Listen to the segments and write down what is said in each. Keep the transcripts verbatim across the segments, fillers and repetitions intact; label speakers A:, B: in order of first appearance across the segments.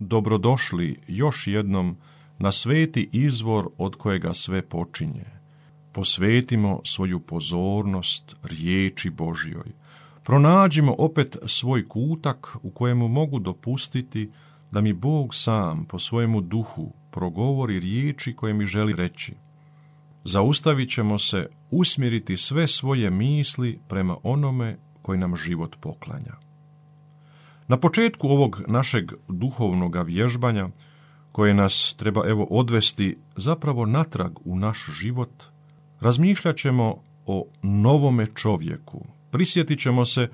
A: dobrodošli još jednom na sveti izvor od kojega sve počinje. Posvetimo svoju pozornost riječi Božjoj. Pronađimo opet svoj kutak u kojemu mogu dopustiti da mi Bog sam po svojemu duhu progovori riječi koje mi želi reći. Zaustavit ćemo se usmjeriti sve svoje misli prema onome koji nam život poklanja. Na početku ovog našeg duhovnog vježbanja, koje nas treba evo odvesti zapravo natrag u naš život, razmišljat ćemo o novome čovjeku. Prisjetit ćemo se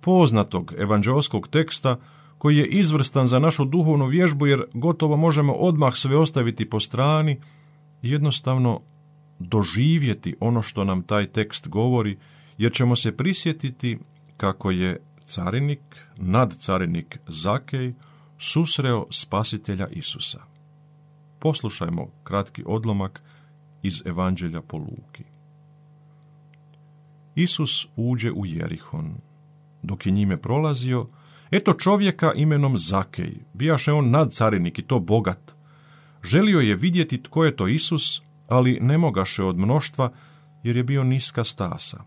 A: poznatog evanđeoskog teksta koji je izvrstan za našu duhovnu vježbu, jer gotovo možemo odmah sve ostaviti po strani i jednostavno doživjeti ono što nam taj tekst govori, jer ćemo se prisjetiti kako je carinik, nadcarinik Zakej, susreo spasitelja Isusa. Poslušajmo kratki odlomak iz Evanđelja po Luki. Isus uđe u Jerihon. Dok je njime prolazio, eto čovjeka imenom Zakej, bijaše on nadcarinik i to bogat. Želio je vidjeti tko je to Isus, ali ne mogaše od mnoštva, jer je bio niska stasa.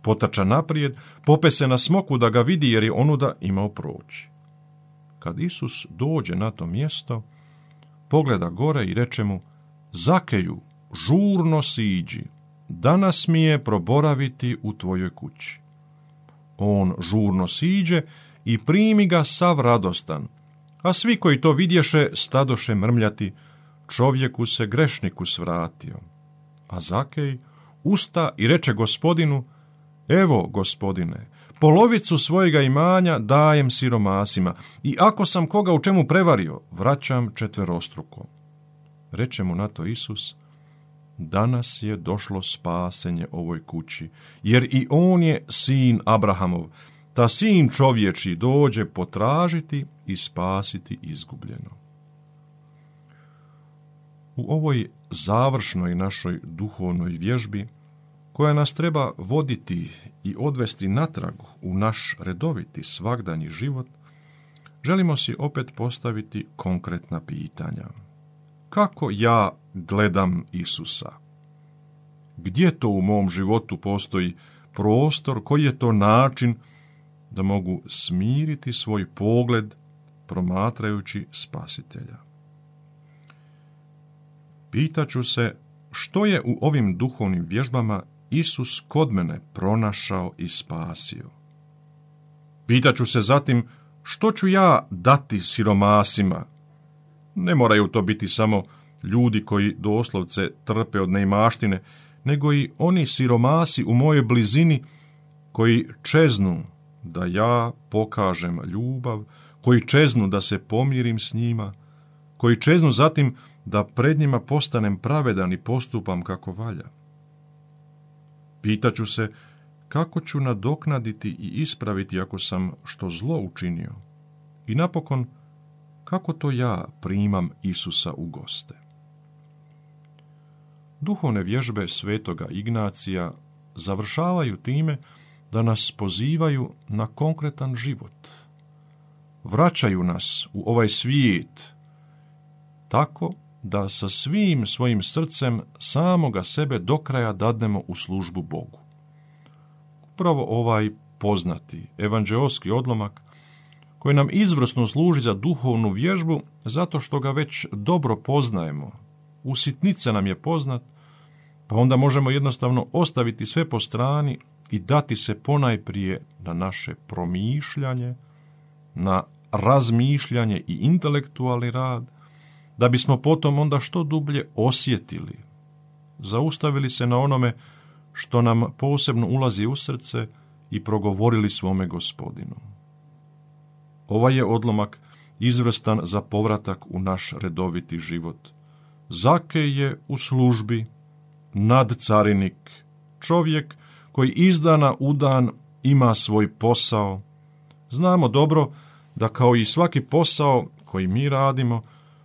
A: Potača naprijed, pope se na smoku da ga vidi, jer je onuda imao proći. Kad Isus dođe na to mjesto, pogleda gore i reče mu: Zakeju, žurno siđi, danas mi je proboraviti u tvojoj kući. On žurno siđe i primi ga sav radostan, a svi koji to vidješe stadoše mrmljati: čovjeku se grešniku svratio. A Zakej usta i reče Gospodinu: evo, Gospodine, polovicu svojega imanja dajem siromasima i ako sam koga u čemu prevario, vraćam četverostruko. Reče mu na to Isus: danas je došlo spasenje ovoj kući, jer i on je sin Abrahamov, ta sin čovječji dođe potražiti i spasiti izgubljeno. U ovoj završnoj našoj duhovnoj vježbi, koja nas treba voditi i odvesti natrag u naš redoviti svagdanji život, želimo si opet postaviti konkretna pitanja. Kako ja gledam Isusa? Gdje to u mom životu postoji prostor, koji je to način da mogu smiriti svoj pogled promatrajući Spasitelja? Pitaću se što je u ovim duhovnim vježbama Isus kod mene pronašao i spasio. Pitaću se zatim što ću ja dati siromasima. Ne moraju to biti samo ljudi koji doslovce trpe od neimaštine, nego i oni siromasi u mojoj blizini koji čeznu da ja pokažem ljubav, koji čeznu da se pomirim s njima, koji čeznu zatim da pred njima postanem pravedan i postupam kako valja. Pitaću se kako ću nadoknaditi i ispraviti ako sam što zlo učinio. I napokon, kako to ja primam Isusa u goste. Duhovne vježbe svetoga Ignacija završavaju time da nas pozivaju na konkretan život. Vraćaju nas u ovaj svijet tako da sa svim svojim srcem samoga sebe do kraja dadnemo u službu Bogu. Upravo ovaj poznati evanđeoski odlomak, koji nam izvrsno služi za duhovnu vježbu, zato što ga već dobro poznajemo, u sitnice nam je poznat, pa onda možemo jednostavno ostaviti sve po strani i dati se ponajprije na naše promišljanje, na razmišljanje i intelektualni rad, da bismo potom onda što dublje osjetili, zaustavili se na onome što nam posebno ulazi u srce i progovorili svome Gospodinu. Ovaj je odlomak izvrstan za povratak u naš redoviti život. Zakej je u službi, nadcarinik, čovjek koji iz dana u dan ima svoj posao. Znamo dobro da kao i svaki posao koji mi radimo,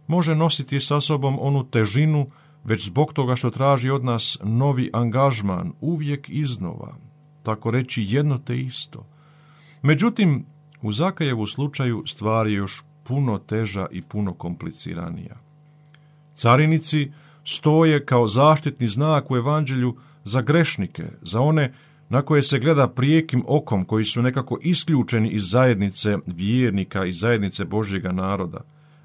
A: može nositi sa sobom onu težinu, već zbog toga što traži od nas novi angažman, uvijek iznova, tako reći jedno te isto. Međutim, u Zakejevu slučaju stvar je još puno teža i puno kompliciranija. Carinici stoje kao zaštitni znak u evanđelju za grešnike, za one na koje se gleda prijekim okom, koji su nekako isključeni iz zajednice vjernika i zajednice Božjega naroda.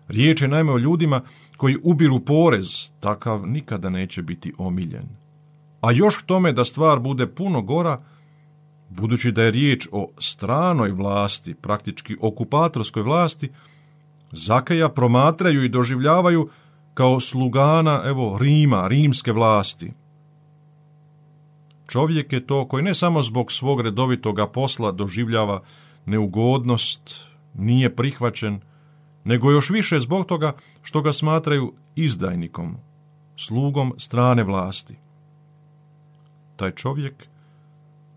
A: Riječ je naime o ljudima koji ubiru porez, takav nikada neće biti omiljen. A još k tome da stvar bude puno gora, budući da je riječ o stranoj vlasti, praktički okupatorskoj vlasti, Zakeja promatraju i doživljavaju kao slugana, evo, Rima, rimske vlasti. Čovjek je to koji ne samo zbog svog redovitoga posla doživljava neugodnost, nije prihvaćen, nego još više zbog toga što ga smatraju izdajnikom, slugom strane vlasti. Taj čovjek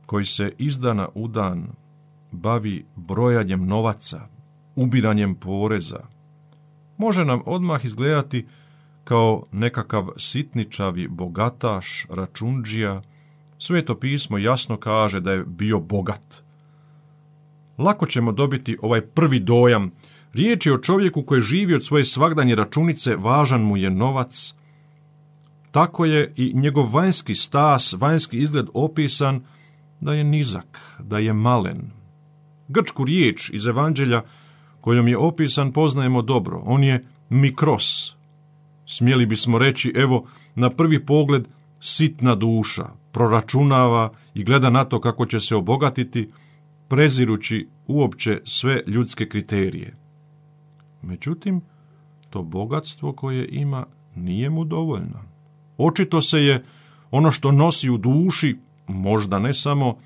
A: koji se iz dana u dan bavi brojanjem novaca, ubiranjem poreza, može nam odmah izgledati kao nekakav sitničavi bogataš, račundžija. Sveto pismo jasno kaže da je bio bogat. Lako ćemo dobiti ovaj prvi dojam. Riječ je o čovjeku koji živi od svoje svagdanje računice, važan mu je novac. Tako je i njegov vanjski stas, vanjski izgled opisan da je nizak, da je malen. Grčku riječ iz evanđelja kojom je opisan poznajemo dobro. On je mikros. Smjeli bismo reći, evo, na prvi pogled sitna duša, proračunava i gleda na to kako će se obogatiti, prezirući uopće sve ljudske kriterije. Međutim, to bogatstvo koje ima nije mu dovoljno. Očito se je ono što nosi u duši, možda ne samo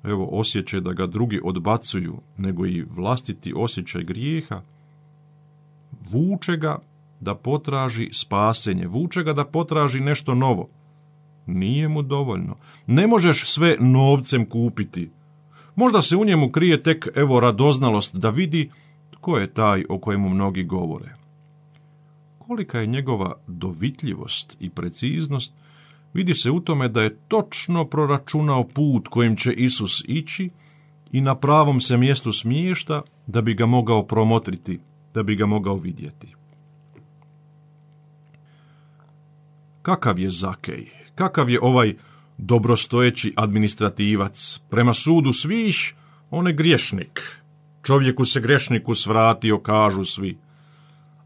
A: evo, osjećaj da ga drugi odbacuju, nego i vlastiti osjećaj grijeha, vuče ga da potraži spasenje, vuče ga da potraži nešto novo. Nije mu dovoljno. Ne možeš sve novcem kupiti. Možda se u njemu krije tek evo radoznalost da vidi tko je taj o kojemu mnogi govore. Kolika je njegova dovitljivost i preciznost, vidi se u tome da je točno proračunao put kojim će Isus ići i na pravom se mjestu smješta da bi ga mogao promotriti, da bi ga mogao vidjeti. Kakav je Zakej? Kakav je ovaj dobrostojeći administrativac? Prema sudu svih, on je griješnik. Čovjeku se grešniku svratio, kažu svi.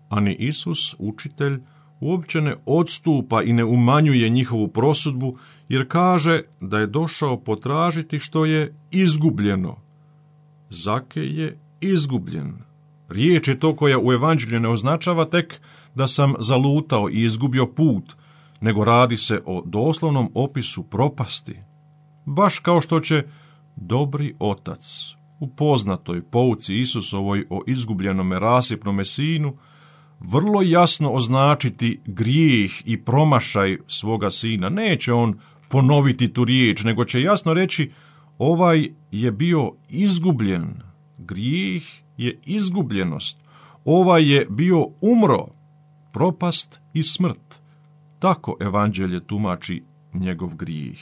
A: Ani Isus, učitelj, uopće ne odstupa i ne umanjuje njihovu prosudbu, jer kaže da je došao potražiti što je izgubljeno. Zakej je izgubljen. Riječ je to koja u evanđelju ne označava tek da sam zalutao i izgubio put, nego radi se o doslovnom opisu propasti. Baš kao što će dobri otac u poznatoj pouci Isusovoj o izgubljenome rasipnome sinu vrlo jasno označiti grijeh i promašaj svoga sina. Neće on ponoviti tu riječ, nego će jasno reći ovaj je bio izgubljen. Grijeh je izgubljenost. Ovaj je bio umro, propast i smrt. Tako evanđelje tumači njegov grijeh.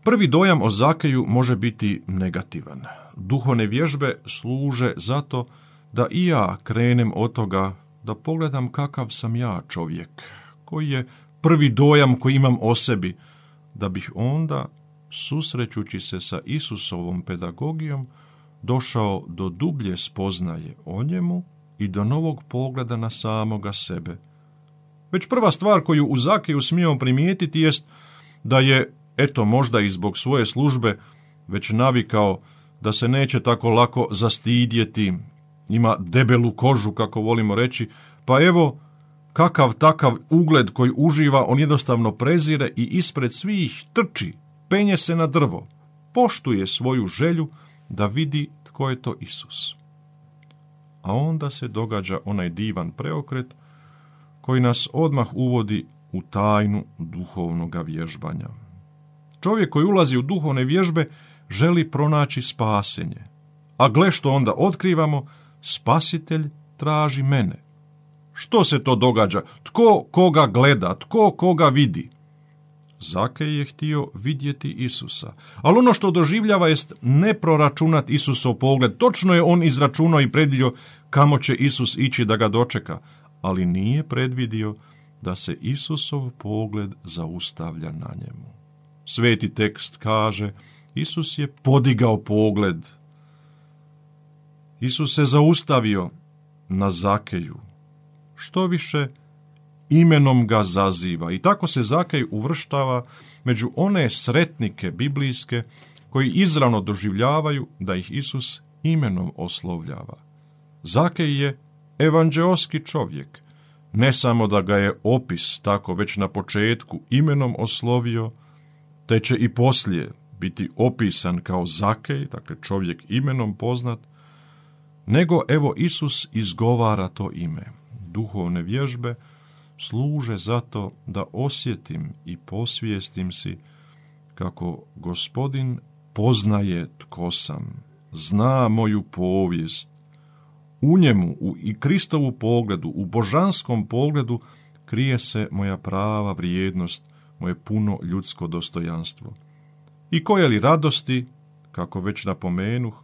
A: Prvi dojam o Zakeju može biti negativan. Duhovne vježbe služe zato da i ja krenem od toga da pogledam kakav sam ja čovjek, koji je prvi dojam koji imam o sebi, da bih onda, susrećući se sa Isusovom pedagogijom, došao do dublje spoznaje o njemu i do novog pogleda na samoga sebe. Već prva stvar koju u Zakeju smijemo primijetiti jest da je, eto možda i zbog svoje službe, već navikao da se neće tako lako zastidjeti, ima debelu kožu, kako volimo reći, pa evo, kakav takav ugled koji uživa, on jednostavno prezire i ispred svih trči, penje se na drvo, poštuje svoju želju da vidi tko je to Isus. A onda se događa onaj divan preokret koji nas odmah uvodi u tajnu duhovnog vježbanja. Čovjek koji ulazi u duhovne vježbe želi pronaći spasenje. A gle što onda otkrivamo, spasitelj traži mene. Što se to događa? Tko koga gleda? Tko koga vidi? Zakej je htio vidjeti Isusa, ali ono što doživljava jest ne proračunat Isusov pogled. Točno je on izračunao i predvidio kamo će Isus ići da ga dočeka, ali nije predvidio da se Isusov pogled zaustavlja na njemu. Sveti tekst kaže, Isus je podigao pogled. Isus se zaustavio na Zakeju. Što više, imenom ga zaziva i tako se Zakej uvrštava među one sretnike biblijske koji izravno doživljavaju da ih Isus imenom oslovljava. Zakej je evanđeoski čovjek, ne samo da ga je opis tako već na početku imenom oslovio, te će i poslije biti opisan kao Zakej, dakle čovjek imenom poznat, nego evo Isus izgovara to ime. Duhovne vježbe služe zato da osjetim i posvijestim si kako Gospodin poznaje tko sam, zna moju povijest. U njemu, u i Kristovu pogledu, u božanskom pogledu krije se moja prava vrijednost, moje puno ljudsko dostojanstvo. I koje li radosti, kako već napomenuh,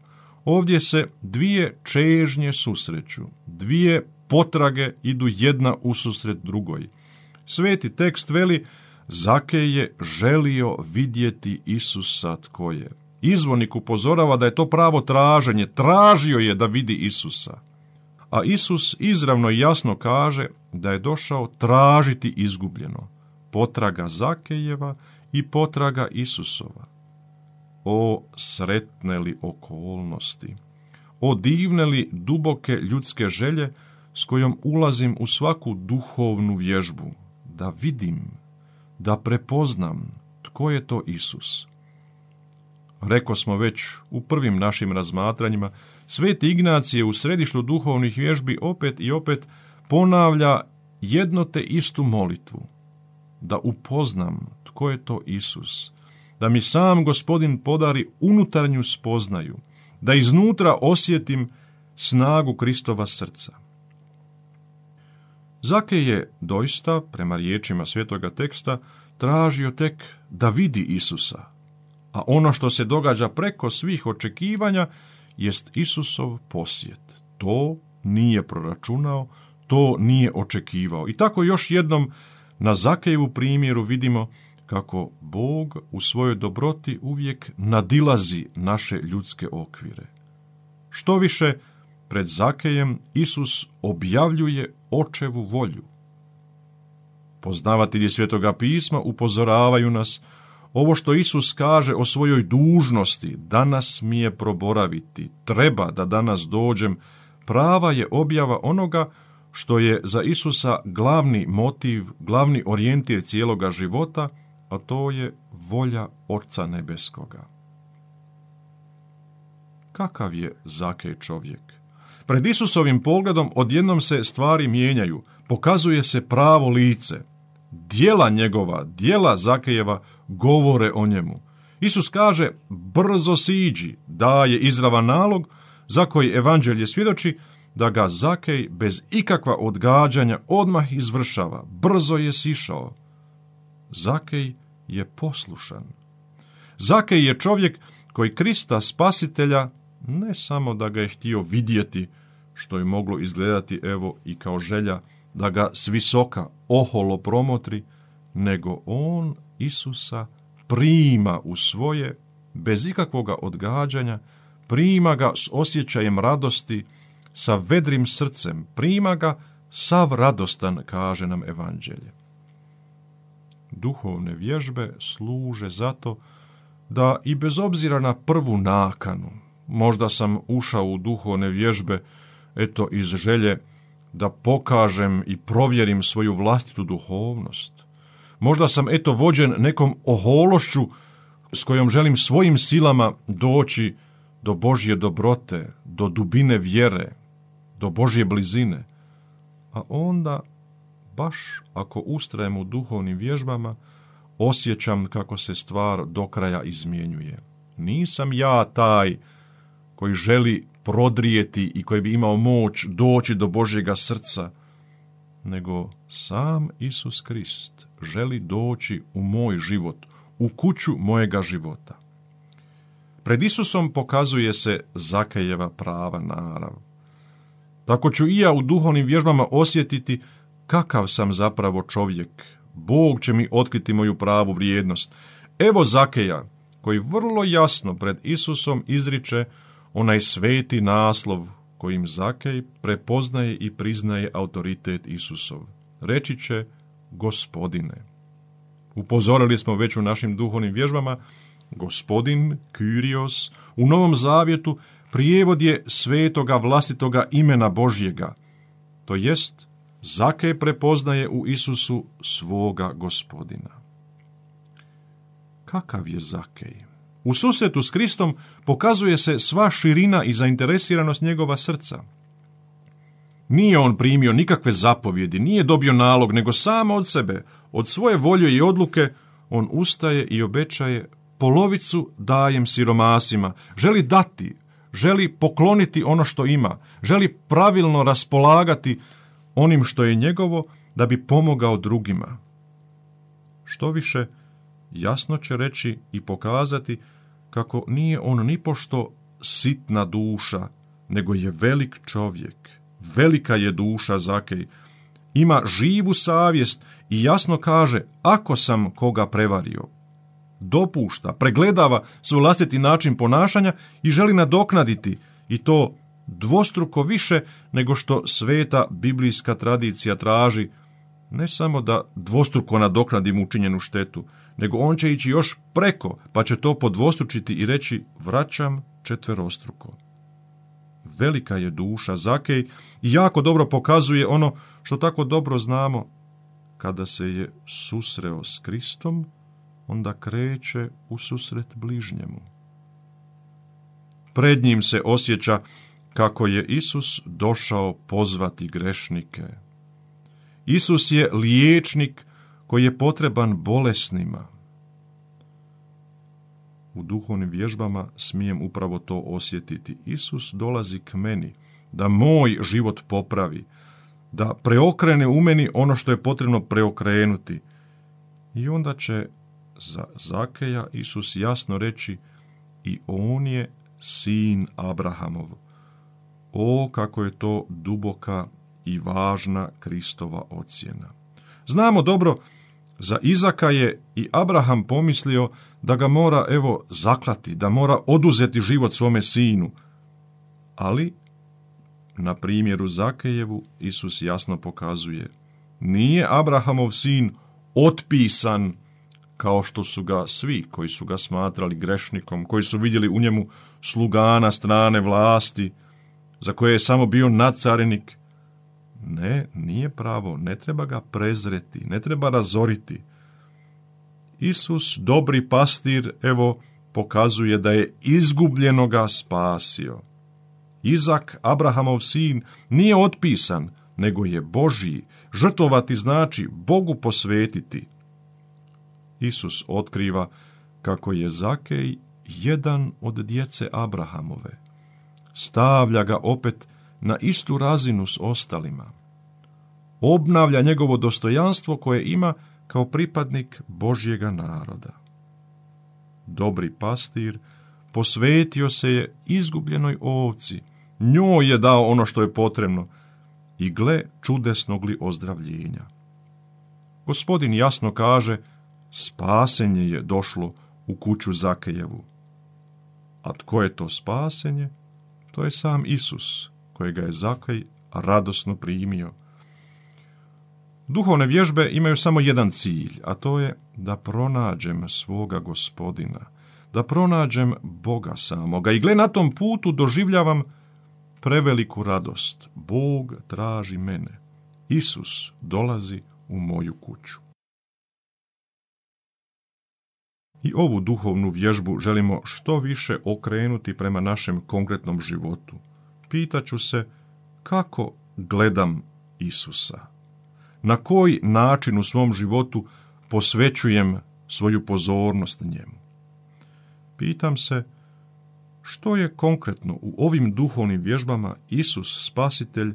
A: ovdje se dvije čežnje susreću, dvije potrage idu jedna ususret drugoj. Sveti tekst veli, Zakej je želio vidjeti Isusa tko je. Izvornik upozorava da je to pravo traženje, tražio je da vidi Isusa. A Isus izravno i jasno kaže da je došao tražiti izgubljeno. Potraga Zakejeva i potraga Isusova. O sretne li okolnosti, o divne li duboke ljudske želje s kojom ulazim u svaku duhovnu vježbu, da vidim, da prepoznam tko je to Isus. Reko smo već u prvim našim razmatranjima, Sveti Ignacije u središtu duhovnih vježbi opet i opet ponavlja jedno te istu molitvu, da upoznam tko je to Isus, da mi sam Gospodin podari unutarnju spoznaju, da iznutra osjetim snagu Kristova srca. Zakej je doista, prema riječima svetoga teksta, tražio tek da vidi Isusa, a ono što se događa preko svih očekivanja jest Isusov posjet. To nije proračunao, to nije očekivao. I tako još jednom na Zakejevu primjeru vidimo kako Bog u svojoj dobroti uvijek nadilazi naše ljudske okvire. Što više, pred Zakejem Isus objavljuje očevu volju. Poznavatelji Svetoga pisma upozoravaju nas, ovo što Isus kaže o svojoj dužnosti, danas mi je proboraviti, treba da danas dođem, prava je objava onoga što je za Isusa glavni motiv, glavni orijentir cijeloga života, a to je volja Oca Nebeskoga. Kakav je Zakej čovjek? Pred Isusovim pogledom odjednom se stvari mijenjaju, pokazuje se pravo lice. Djela njegova, djela Zakejeva govore o njemu. Isus kaže, brzo siđi, daje izravan nalog za koji evanđelje svjedoči da ga Zakej bez ikakva odgađanja odmah izvršava. Brzo je sišao. Zakej je poslušan. Zakej je čovjek koji Krista spasitelja ne samo da ga je htio vidjeti, što je moglo izgledati evo i kao želja da ga s visoka oholo promotri, nego on Isusa prima u svoje, bez ikakvoga odgađanja, prima ga s osjećajem radosti, sa vedrim srcem, prima ga sav radostan, kaže nam evanđelje. Duhovne vježbe služe zato da i bez obzira na prvu nakanu, možda sam ušao u duhovne vježbe, eto iz želje da pokažem i provjerim svoju vlastitu duhovnost. Možda sam eto vođen nekom ohološću s kojom želim svojim silama doći do Božje dobrote, do dubine vjere, do Božje blizine. A onda, baš ako ustrajem u duhovnim vježbama, osjećam kako se stvar do kraja izmjenjuje. Nisam ja taj koji želi prodrijeti i koji bi imao moć doći do Božjega srca, nego sam Isus Krist želi doći u moj život, u kuću mojega života. Pred Isusom pokazuje se Zakejeva prava narav. Tako ću i ja u duhovnim vježbama osjetiti kakav sam zapravo čovjek. Bog će mi otkriti moju pravu vrijednost. Evo Zakeja, koji vrlo jasno pred Isusom izriče onaj sveti naslov kojim Zakej prepoznaje i priznaje autoritet Isusov. Reći će Gospodine. Upozorili smo već u našim duhovnim vježbama, Gospodin, Kyrios, u Novom Zavjetu prijevod je svetoga vlastitoga imena Božjega, to jest Zakej prepoznaje u Isusu svoga Gospodina. Kakav je Zakej? U susretu s Kristom pokazuje se sva širina i zainteresiranost njegova srca. Nije on primio nikakve zapovjedi, nije dobio nalog, nego samo od sebe, od svoje volje i odluke, on ustaje i obećaje polovicu dajem siromasima, želi dati, želi pokloniti ono što ima, želi pravilno raspolagati onim što je njegovo da bi pomogao drugima. Što više, jasno će reći i pokazati kako nije on nipošto sitna duša, nego je velik čovjek. Velika je duša Zakej, ima živu savjest i jasno kaže ako sam koga prevario. Dopušta, pregledava svoj vlastiti način ponašanja i želi nadoknaditi i to dvostruko više nego što sveta biblijska tradicija traži, ne samo da dvostruko nadoknadim učinjenu štetu, nego on će ići još preko, pa će to podvostručiti i reći vraćam četverostruko. Velika je duša Zakej i jako dobro pokazuje ono što tako dobro znamo. Kada se je susreo s Kristom, onda kreće u susret bližnjemu. Pred njim se osjeća kako je Isus došao pozvati grešnike. Isus je liječnik koji je potreban bolesnima. U duhovnim vježbama smijem upravo to osjetiti. Isus dolazi k meni da moj život popravi, da preokrene u meni ono što je potrebno preokrenuti. I onda će za Zakeja Isus jasno reći i on je sin Abrahamov. O, kako je to duboka i važna Kristova ocjena. Znamo dobro, za Izaka je i Abraham pomislio da ga mora, evo, zaklati, da mora oduzeti život svome sinu. Ali, na primjeru Zakejevu, Isus jasno pokazuje, nije Abrahamov sin otpisan kao što su ga svi koji su ga smatrali grešnikom, koji su vidjeli u njemu slugana strane vlasti, za koje je samo bio nadcarinik. Ne, nije pravo, ne treba ga prezreti, ne treba razoriti. Isus, dobri pastir, evo, pokazuje da je izgubljenoga spasio. Izak, Abrahamov sin, nije otpisan, nego je Božji. Žrtvovati znači Bogu posvetiti. Isus otkriva kako je Zakej jedan od djece Abrahamove. Stavlja ga opet na istu razinu s ostalima. Obnavlja njegovo dostojanstvo koje ima kao pripadnik Božjega naroda. Dobri pastir posvetio se je izgubljenoj ovci, njoj je dao ono što je potrebno i gle čudesnog li ozdravljenja. Gospodin jasno kaže, spasenje je došlo u kuću Zakejevu. A tko je to spasenje? To je sam Isus, kojega je Zakej radosno primio. Duhovne vježbe imaju samo jedan cilj, a to je da pronađem svoga Gospodina, da pronađem Boga samoga. I gle, na tom putu doživljavam preveliku radost. Bog traži mene. Isus dolazi u moju kuću. I ovu duhovnu vježbu želimo što više okrenuti prema našem konkretnom životu. Pitaću se kako gledam Isusa. Na koji način u svom životu posvećujem svoju pozornost njemu. Pitam se što je konkretno u ovim duhovnim vježbama Isus Spasitelj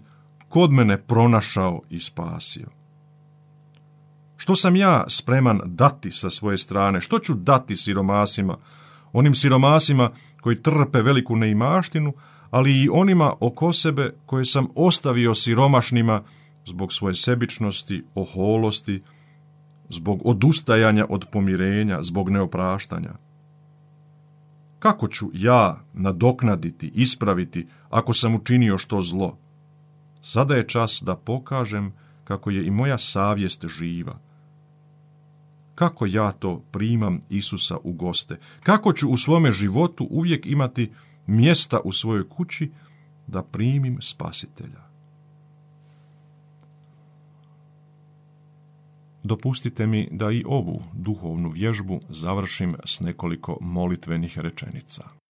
A: kod mene pronašao i spasio. Što sam ja spreman dati sa svoje strane? Što ću dati siromasima? Onim siromasima koji trpe veliku neimaštinu, ali i onima oko sebe koje sam ostavio siromašnima zbog svoje sebičnosti, oholosti, zbog odustajanja od pomirenja, zbog neopraštanja. Kako ću ja nadoknaditi, ispraviti ako sam učinio što zlo? Sada je čas da pokažem kako je i moja savjest živa. Kako ja to primam Isusa u goste? Kako ću u svome životu uvijek imati mjesta u svojoj kući da primim Spasitelja? Dopustite mi da i ovu duhovnu vježbu završim s nekoliko molitvenih rečenica.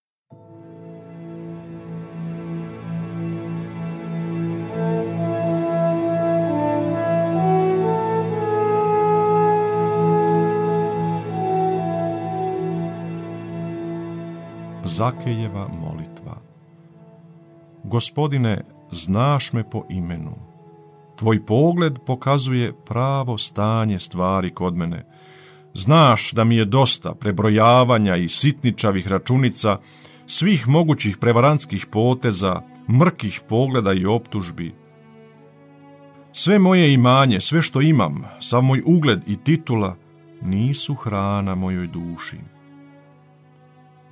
A: Zakejeva molitva. Gospodine, znaš me po imenu. Tvoj pogled pokazuje pravo stanje stvari kod mene. Znaš da mi je dosta prebrojavanja i sitničavih računica, svih mogućih prevarantskih poteza, mrkih pogleda i optužbi. Sve moje imanje, sve što imam, sav moj ugled i titula, nisu hrana mojoj duši.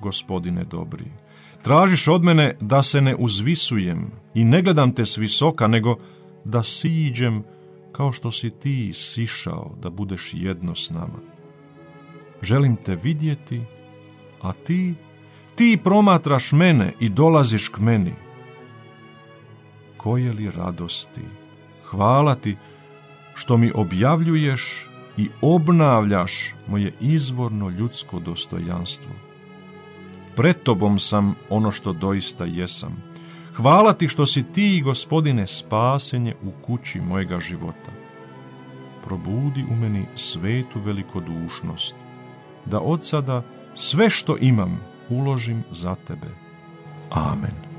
A: Gospodine dobri, tražiš od mene da se ne uzvisujem i ne gledam te s visoka, nego da siđem kao što si ti sišao da budeš jedno s nama. Želim te vidjeti, a ti, ti promatraš mene i dolaziš k meni. Koje li radosti, hvala ti što mi objavljuješ i obnavljaš moje izvorno ljudsko dostojanstvo. Pred tobom sam ono što doista jesam. Hvala ti što si ti, Gospodine, spasenje u kući mojega života. Probudi u meni svetu velikodušnost, da od sada sve što imam uložim za tebe. Amen.